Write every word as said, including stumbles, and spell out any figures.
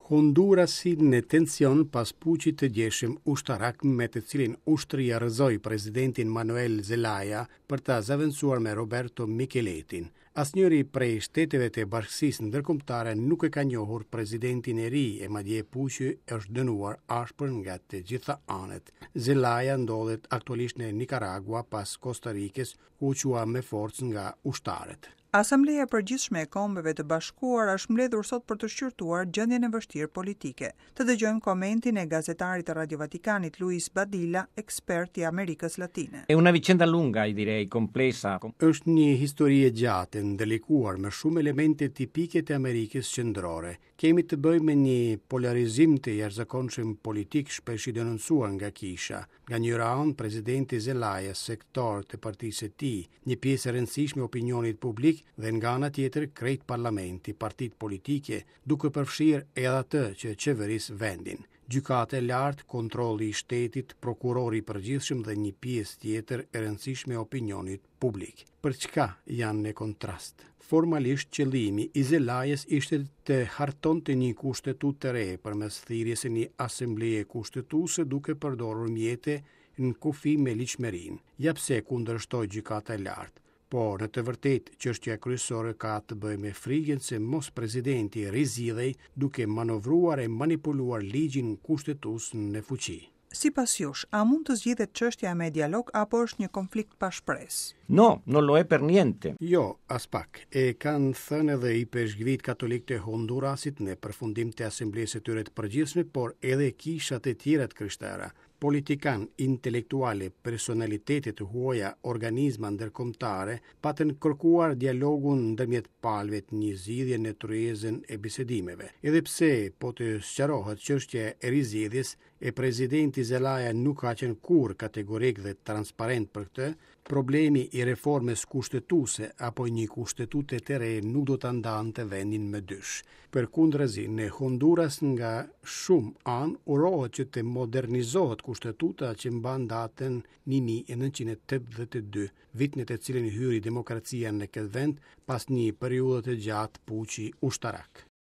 Hondurasi në tension pas puçit të djeshëm ushtarak me të cilin ushtria rrëzoi presidentin Manuel Zelaya për ta zëvendësuar me Roberto Micheletin. Asnjëri prej shteteve të bashkësisë ndërkombëtare nuk e ka njohur presidentin e ri e madje puçi është dënuar ashpër nga të gjitha anët. Zelaya ndodhet aktualisht në Nicaragua pas Costa Rikës, ku u çua me forcë nga ushtarët. Asambleja e Përgjithshme e Kombeve të Bashkuara është mbledhur sot për të shqyrtuar gjendjen e vështirë politike. Të dëgjojmë komentin e gazetarit të Radio Vatikanit Luis Badilla, ekspert i Amerikës Latine. È una vicenda lunga, direi, complessa. Është një histori e gjatë, ndërlikuar me shumë elemente tipike të Amerikës Qendrore. Kemi të bëjmë me një polarizim të jashtëzakonshëm politik shpesh i denoncuar nga kisha. Nga njëra anë, presidenti Zelaya, sektor të partisë së tij, një pjesë e rëndësishme e opinionit publik dhe nga ana tjetër krejt parlamenti, partitë politike, duke përfshirë edhe atë që qeveris vendin. Gjykata e lartë, kontrolli i shtetit, prokurori i përgjithshëm dhe një pjesë tjetër e rëndësishme e opinionit publik. Për çka janë në kontrast? Formalisht qëllimi i Zelayës ishte të hartonte një kushtetutë të re përmes thirrjes së një asambleje kushtetuese duke përdorur mjete në kufi me ligjshmërinë. Ja pse kundërshtoi gjykata e lartë. Por në të vërtetë çështja kryesore ka të bëjë me frikën se mos presidenti rizgjidhej duke manovruar e manipuluar ligjin kushtetues në fuqi. Sipas jush, a mund të zgjidhet çështja me dialog apo është një konflikt pa shpresë? No, non lo è per niente. Jo, as pak. E kanë thënë edhe ipeshkvit katolik të Hondurasit në përfundim të asamblesë së tyre të përgjithshme, por edhe kishat e tjera të krishtera. Politikan, intelektuale, personalitete të huaja, organizma ndërkombëtare patën kërkuar dialogun ndërmjet palëve të një zgjidhje në tryezën e bisedimeve. Edhe pse po të sqarohet çështja e rizgjidhjes, e presidenti Zelaya nuk ka qenë kurrë kategorik dhe transparent për këtë, problemi i reformës kushtetuese apo një kushtetute të re nuk do ta ndante vendin më dysh. Përkundrazi, në Honduras nga shumë anë urohet që të modernizohet kushtetuta që mban datën një mijë e nëntëqind e tetëdhjetë e dy, vit në të cilin hyri demokracia në këtë vend pas një periudhe të gjatë puçi ushtarak.